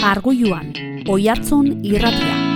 Arguiluan, Oihartzun Irratia.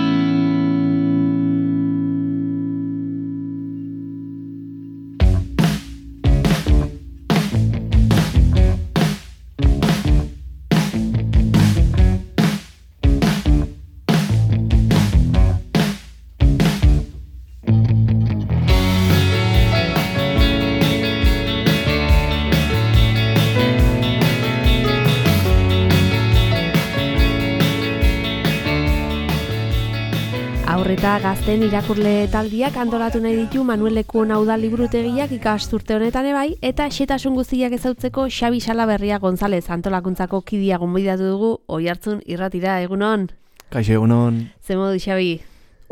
Eta gazten irakurle taldiak antolatu nahi ditu Manuel Lekuen Udal Liburutegiak ikasturte honetan ebai, eta xehetasun guztiak ezautzeko Xabi Salaberria González antolakuntzako kidia gonbidatu dugu Oihartzun Irratira. Egunon? Kaixo, egunon. Ze modu, Xabi?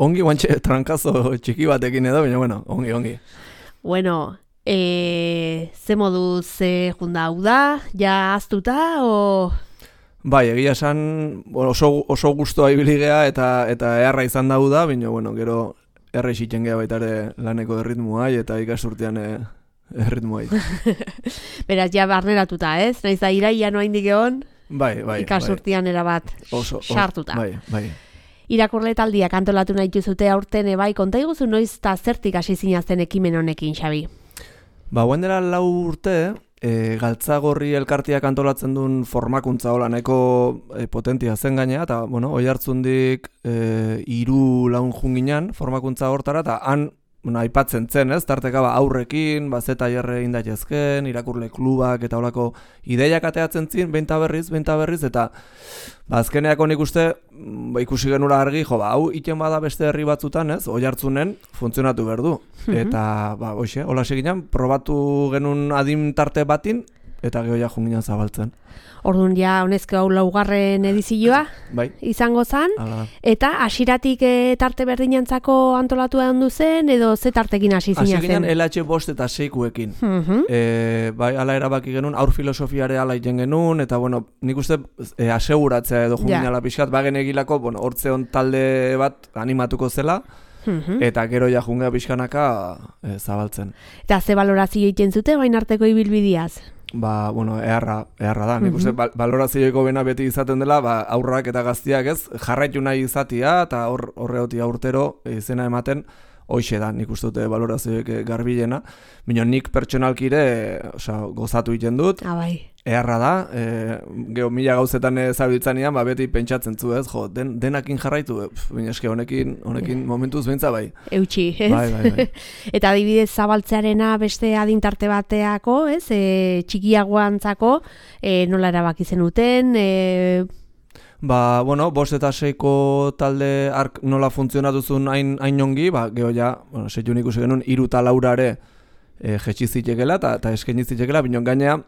Ongi guantxe trankazo txiki batekin edo, baina bueno, ongi. Bueno, ze modu, ze junda hau da? Ja aztuta, o... Bai, egia esan oso gustoa ibili gea eta eharra izan da, baina bueno, gero erra isitzen gea baita ere laneko erritmoa eta ikasturtean erritmoa. Beraz, ja barneratuta, ez? Naiz da iraia noa indik egon, bai, ikasturtean erabat sartuta. Bai. Irakurle taldiak antolatu nahi duzute aurten bai, konta iguzu noiz eta zertik hasi zinazten ekimen honekin, Xabi? Guen dela 4 urte, Galtzagorri elkartiak antolatzen duen formakuntza hola nahiko potentia zen gainea, eta bueno, Oihartzundik 3 junginan formakuntza hortara, eta han aipatzen zen, ez? Tarteka aurrekin, zeta jerre indatezken, irakurle klubak eta holako ideiak ateatzen zin, beinta berriz, eta azkeneako nik uste, ikusi genura argi, hau iten bada beste herri batzutan, ez? Oihartzunen funtzionatu behar du. Eta, hola seginan, probatu genuen adin tarte batin, eta geho ja junginan zabaltzen. Orduan ja, honezko hau 4. edizioa izango zen, eta hasiratik tarte berdinantzako antolatu handu zen, edo ze tartekin hasi zina zen? Hasi ginen LH5 eta 6kuekin. Ala erabaki genuen, aur filosofiare ala iten genuen, eta bueno, nik uste aseguratzea edo junginala pixkat, bagen egilako, hortze hon talde bat animatuko zela, eta gero ja jungea pixkanaka zabaltzen. Eta ze balorazio egiten zute, bain arteko ibilbidiaz? Eharra da. Nik uste balorazioiko bena beti izaten dela, aurrak eta gaztiak ez, jarraitu nahi izatia, eta horreotia urtero izena ematen, hoxe da, nik uste dute balorazioek garbilena. Baina nik pertsonalkire gozatu egiten dut, eharra da, geho 1000 gauzetan zabiltzanean, beti pentsatzen zu ez, denakin jarraitu, baina eske honekin momentuz behintza bai. Eutxi, ez? Bai. Eta adibidez zabaltzearena beste adintarte bateako, ez? Txikiagoantzako, nola erabaki zenuten, 5 eta 6ko talde ark nola funtzionatuzun hain ongi, geho ja, seiun ikusi genuen 3 eta 4 jetxizitekela eta eskenizitekela, binon gainea,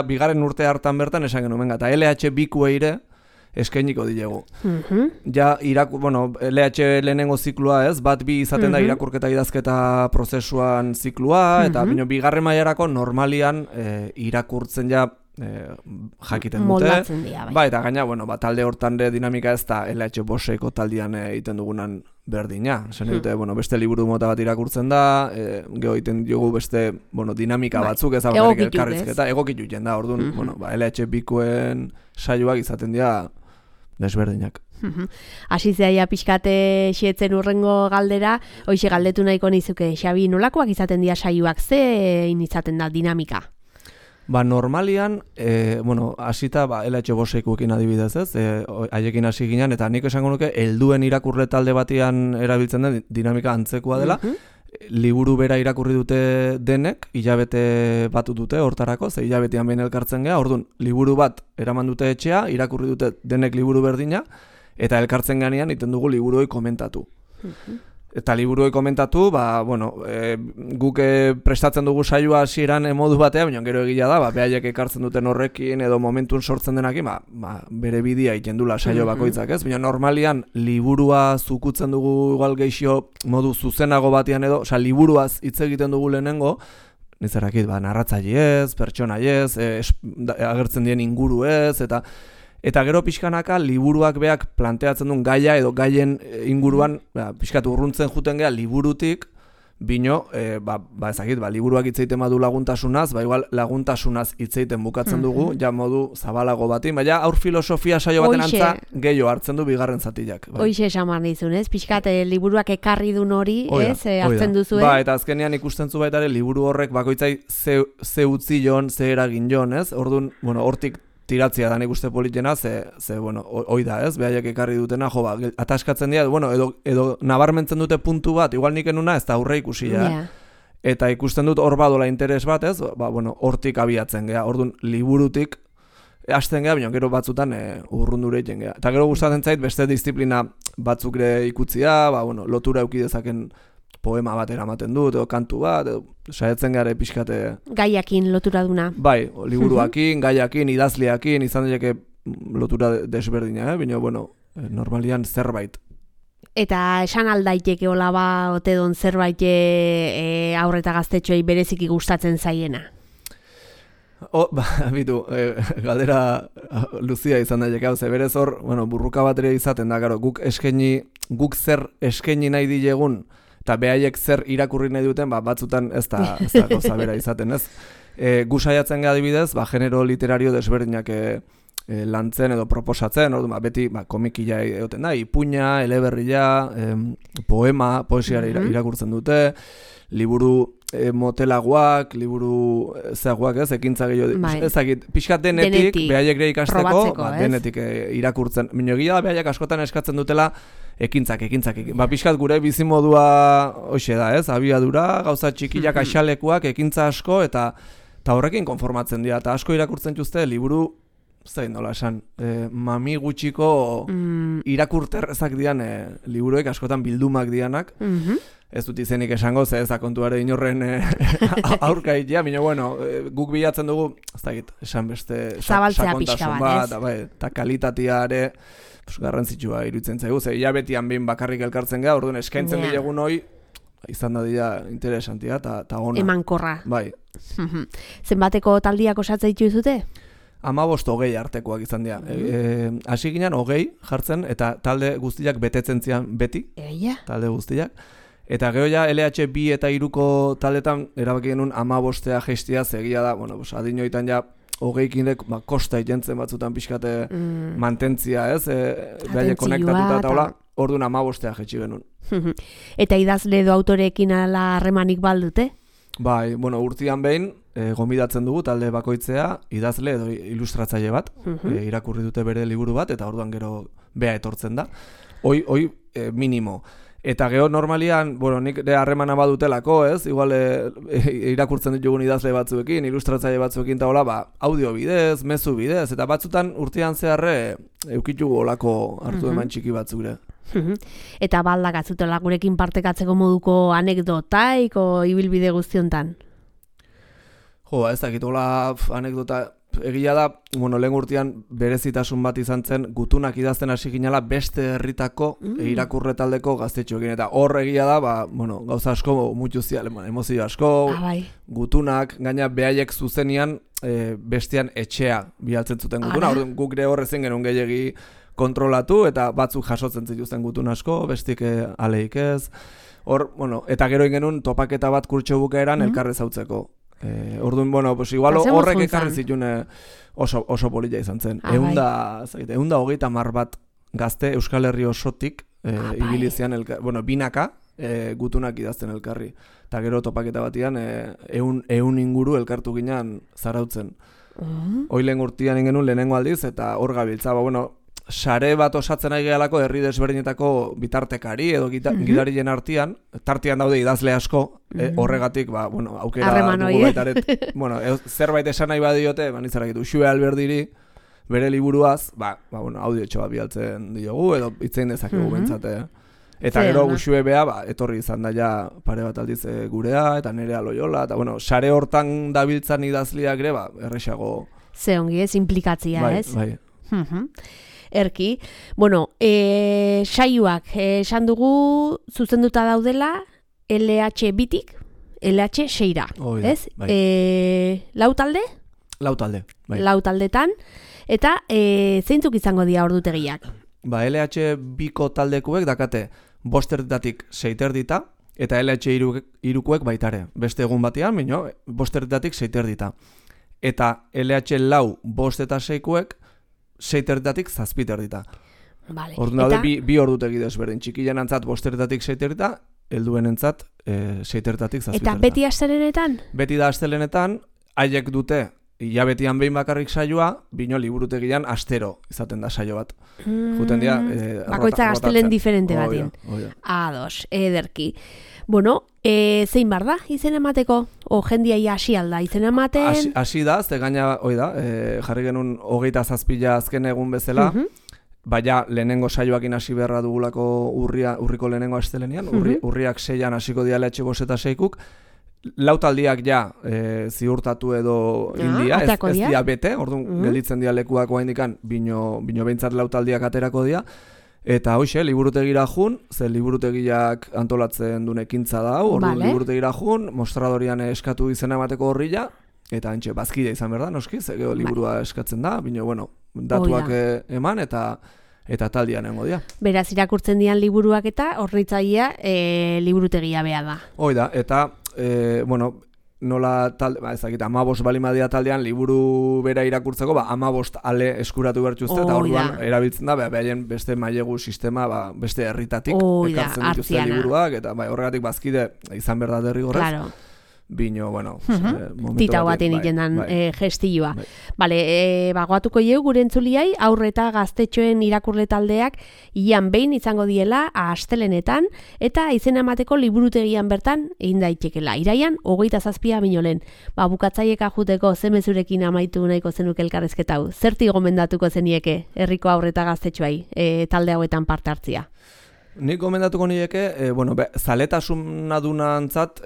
bigarren urte hartan bertan esan genuen, eta LH2 ere eskeniko dilegu. LH lehenengo ziklua ez, bat bi izaten da irakurketa idazketa prozesuan ziklua, eta bigarren mailarako normalian irakurtzen ja jakiten dute. Moldatzen dira, bai. Eta gaina, talde hortan dinamika ez da LH5ko taldean egiten dugunan berdina. Zen dute, beste liburu mota bat irakurtzen da, geho egiten diogu beste dinamika batzuk ezabarik elkarrizketa, egokitu jen da, orduan, LH2koen saioak izaten dira desberdinak. Hasi zeaia pixkate xeetzen urrengo galdera, hoxe galdetu nahiko nizuke, Xabi, nolakoak izaten dira saioak, zein izaten da dinamika? Normalian, hasita LH5koekin adibidez ez, haiekin hasi ginen, eta nik esango nuke, helduen irakurle talde batian erabiltzen den dinamika antzekoa dela, liburu bera irakurri dute denek, hilabete batu dute hortarako, ze hilabetean behin elkartzen gea, orduan, liburu bat eraman dute etxea, irakurri dute denek liburu berdina, eta elkartzen ganean iten dugu liburuoi komentatu. Eta liburuoi komentatu, guk prestatzen dugu saioa hasieran modu batea, baina gero egia da, behaiek ekartzen duten horrekin edo momentun sortzen denakin, bere bidea egiten dula saio bakoitzak, ez? Baina normalian liburua zukutzen dugu igual geixo modu zuzenago batean edo, liburuaz hitz egiten dugu lehenengo, nizerakit, narratzaile ez, pertsonai ez, agertzen dien inguru ez, eta gero pixkanaka liburuak beak planteatzen duen gaia edo gaien inguruan pixkat urruntzen juten gea liburutik, bino, ezakit, liburuak hitzeiten badu laguntasunaz, igual laguntasunaz hitzeiten bukatzen dugu, ja modu zabalago batin, baina aur filosofia saio baten antza gehiago hartzen du bigarren zatiak. Hoixe esan dizun, ez? Pixkat, liburuak ekarri dun hori, ez? Hartzen duzu, eta azkenean ikusten zu baita ere, liburu horrek bakoitzai ze utzi jon, ze eragin jon, ez? Orduan, hortik tiratzia da nik uste politena, hoi da, ez? Behaiek ekarri dutena, ataskatzen dira, edo nabarmentzen dute puntu bat, igual nik enuna ez da aurre ikusia, eta ikusten dut hor badola interes bat, ez? Hortik abiatzen gea, orduan liburutik hasten gea, baina gero batzutan urrundure egiten gea. Eta gero gustatzen zait beste disiplina batzuk ere ikutzia, lotura eduki dezaken poema bat eramaten dut, edo kantu bat, edo saiatzen gara pixkate... Gaiakin lotura duna. Bai, liburuakin, gaiakin, idazleakin, izan daiteke lotura desberdina, baina, normalian zerbait. Eta esan aldaiteke hola ote don zerbait haur eta gaztetxoei bereziki gustatzen zaiena? Bitu, galdera luzia izan daiteke, berez hor, burruka bat ere izaten da, guk zer eskaini nahi dilegun, eta behaiek zer irakurri nahi duten, batzutan ez da gauza bera izaten, ez? Gu saiatzen gara adibidez, genero literario desberdinak lantzen edo proposatzen, beti komikila egoten da, ipuina, eleberria, poema, poesiara irakurtzen dute, liburu motelagoak, liburu zeagoak, ez, ekintza gehiago, ezagit, pixkat denetik, behaiek ere ikasteko, denetik irakurtzen. Minogia behaiek askotan eskatzen dutela ekintzak. Pixkat gure bizimodua hoxe da, ez, abiadura, gauza txikiak, axalekuak, ekintza asko, eta horrekin konformatzen dira, eta asko irakurtzen txuzte, liburu, zain nola esan, mami gutxiko irakurterrezak dian liburuek, askotan bildumak dianak, ez dut izenik esango, ez da kontuare inorren aurka itea, baina, guk bilatzen dugu, ez da git, esan beste sakontasun bat, eta kalitateare garrantzitsua iruditzen zaigu, ze hilabetian behin bakarrik elkartzen gara, orduan eskaintzen dilegun hoi, izan da dira interesantia, eta ona. Emankorra. Bai. Zenbateko taldiak osatzen dituzute? 15-20 artekoak izan dira. Hasi ginen 20 jartzen, eta talde guztiak betetzen zian beti, talde guztiak. Eta gero ja LH 2 eta 3ko taldetan erabaki genuen 15 jeistia zegia da, adinoitan ja 20-kinek kosta ikentzen batzutan pixkate mantentzia, ez? Behaile konektatuta eta hola, orduan 15 jetxi genuen. Eta idazle edo autoreekin ala harremanik baldute? Bai, urtean behin, gonbidatzen dugu talde bakoitzea, idazle edo ilustratzaile bat, irakurri dute bere liburu bat, eta orduan gero bea etortzen da. Hoi minimo. Eta gero normalian, nik harremana badutelako, ez? Igual irakurtzen ditugun idazle batzuekin, ilustratzaile batzuekin eta hola, audio bidez, mezu bidez, eta batzutan urtean zeharre eukitugu olako hartu eman txiki batzure. Eta baldakatzutela gurekin partekatzeko moduko anekdotaik o ibilbide guztiontan? Ez dakit, hola anekdota egia da, lehen urtean berezitasun bat izan zen, gutunak idazten hasi ginela beste herritako irakurre taldeko gaztetxoekin, eta hor egia da, gauza asko mutuzia, emozio asko, gutunak, gaina behaiek zuzenian bestean etxea bialtzen zuten gutuna, guk ere horrezen genuen gehiagi kontrolatu, eta batzuk jasotzen zituzten gutun asko, bestik aleik ez, eta gero genuen topaketa bat kurtso bukaeran elkarrez hautzeko. Orduan, igual horrek ekarri zituen oso polilla izan zen. 130 bat gazte Euskal Herri osotik ibilizian, binaka gutunak idazten elkarri. Eta gero topaketa batian 100 inguru elkartu ginean zarautzen. Hoi lehen urtean genuen lehenengo aldiz, eta hor gabiltza, sare bat osatzen ari gehalako herri desberdinetako bitartekari edo gidarien artean, tartean daude idazle asko, horregatik, aukera dugu baitaret. Zerbait esan nahi badiote, nizarakitu, Xue Alberdiri, bere liburuaz, audio txoa bialtzen diogu, edo itzein dezakegu bentsate. Eta gero Xue bea, etorri izan da ja pare bat aldiz gurea, eta Nerea Loyola, eta sare hortan dabiltzan idazleak ere, erresago. Ze ongi ez, implikatzia, ez? Bai. Erki. Saioak esan dugu zuzenduta daudela LH bitik LH 6ra, ez? Lau talde? Lau talde, bai. Lau taldetan, eta zeintzuk izango dira ordutegiak? LH biko taldekuek dakate 5 erditatik 6 erdita, eta LH irukuek baitare. Beste egun batean, bino, 5:00 6:00. Eta LH lau 5 eta 6kuek 6:00 7:00. Vale. Orduan daude bi ordutegi desberdin. Txikilen antzat 5:00 6:00, helduen entzat 6:00 7:00. Eta beti astelenetan? Beti da astelenetan, haiek dute hilabetian behin bakarrik saioa, bino liburutegian astero izaten da saio bat. Juten dira... Bakoitza astelen diferente batin. Ados, ederki. Bueno, zein bar da izen emateko? O jendia hasi alda izen ematen? Hasi da, ze gaina, jarri genuen 27 azken egun bezala, baina lehenengo saioakin hasi beharra dugulako urriko lehenengo astelenean, urriak 6an hasiko diala etxe 5 eta 6kuk, lautaldiak ja ziurtatu edo india, ez dia bete, orduan gelditzen dia lekuak oaindikan, bino behintzat lautaldiak aterako dia, eta hoxe, liburutegira jun, ze liburutegiak antolatzen duen ekintza da, orduan liburutegira jun, mostradorian eskatu izena emateko horrila, eta entxe, bazkidea izan behar da, noski, ze liburua eskatzen da, bino, bueno, datuak eman, eta taldian nengo dia. Beraz, irakurtzen dian liburuak eta horritzaia liburutegia beha da. Hoi da, eta, bueno, nola talde, ezakita, 15 balimadia taldean liburu bera irakurtzeko, 15 ale eskuratu bertuzte, eta orduan erabiltzen da, behaien beste mailegu sistema, beste herritatik ekartzen dituzte liburuak, eta horregatik bazkide izan behar da derrigorrez. Claro. Bino, bueno, tita baten ikendan gestilloa. Bale, bagoatuko jau gure entzuliai, aurre eta gaztetxoen irakurle taldeak ian behin izango diela astelenetan, eta izena emateko liburutegian bertan egin daitekela. Iraian, 27 binolen. Bukatzaiek ajuteko zemezurekin amaitu nahiko zenuk elkarrezketa hau. Zerti gomendatuko zenieke herriko aurre eta gaztetxoai talde hauetan parte hartzia? Nik gomendatuko nieke, zaletasuna dunantzat,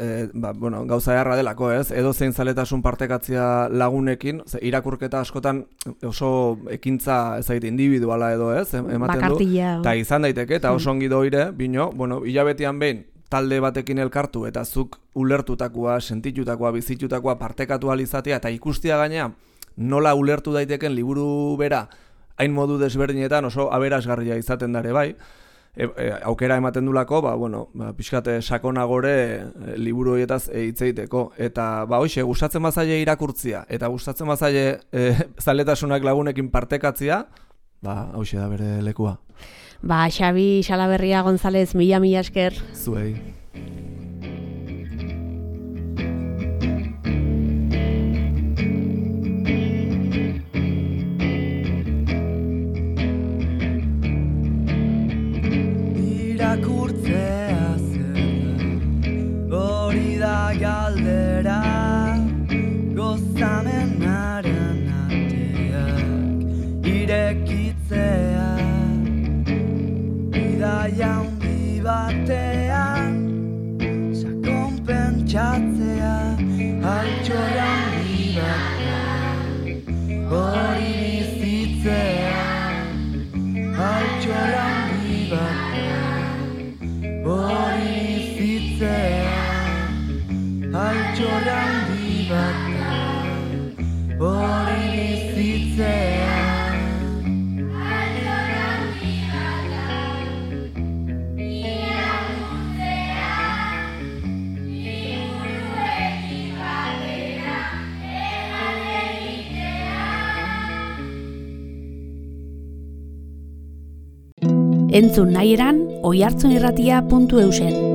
gauza eharra delako, ez? Edo zein zaletasun partekatzia lagunekin, irakurketa askotan oso ekintza ezagite individuala edo, ez? Ematen du, eta izan daiteke, eta oso ongi doire, bino, hilabetian behin, talde batekin elkartu, eta zuk ulertutakoa, sentitutakoa, bizitutakoa, partekatu alizatea, eta ikustia gaina, nola ulertu daiteken liburu bera, hain modu desberdinetan oso aberasgarria izaten dare bai, aukera ematen dulako, pixkate sakonagore liburu horietaz hitz egiteko. Eta hoxe, gustatzen bazaile irakurtzia, eta gustatzen bazaile zaletasunak lagunekin partekatzia, hoxe da bere lekua. Xabi Salaberria González, mila esker. Zuei. Irakurtzea zer da, hori da galdera, gozamenaren ateak irekitzea, bidaia handi batean, sakon pentsatzea, altxorra handi batean, hori bizitzea, altxorra handi batean. Hori bizitzea, altxorra handi bat, hori bizitzea. Altxorra handi bat, irakurtzea, liburuekin batera, eman egitea. Entzun nahi eran, oihartzunirratia.eusen.